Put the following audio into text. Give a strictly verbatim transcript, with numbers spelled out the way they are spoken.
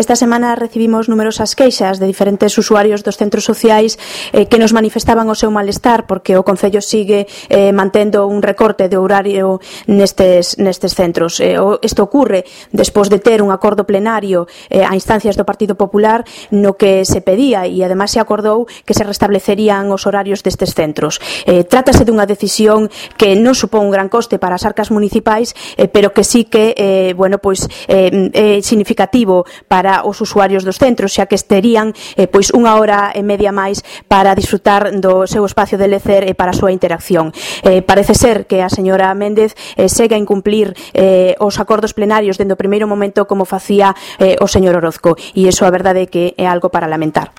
Esta semana recibimos numerosas queixas de diferentes usuarios dos centros sociais eh, que nos manifestaban o seu malestar porque o Concello sigue eh, mantendo un recorte de horario nestes, nestes centros. Eh, isto ocurre despois de ter un acordo plenario eh, a instancias do Partido Popular no que se pedía e ademais se acordou que se restablecerían os horarios destes centros. Eh, trátase dunha decisión que non supón un gran coste para as arcas municipais, eh, pero que sí que eh, bueno, pois, eh, é significativo para os usuarios dos centros, xa que esterían eh, pois unha hora e media máis para disfrutar do seu espacio de lecer e para a súa interacción. Eh, parece ser que a señora Méndez eh, segue a incumplir eh, os acordos plenarios dende o primeiro momento como facía eh, o señor Orozco, e iso a verdade é que é algo para lamentar.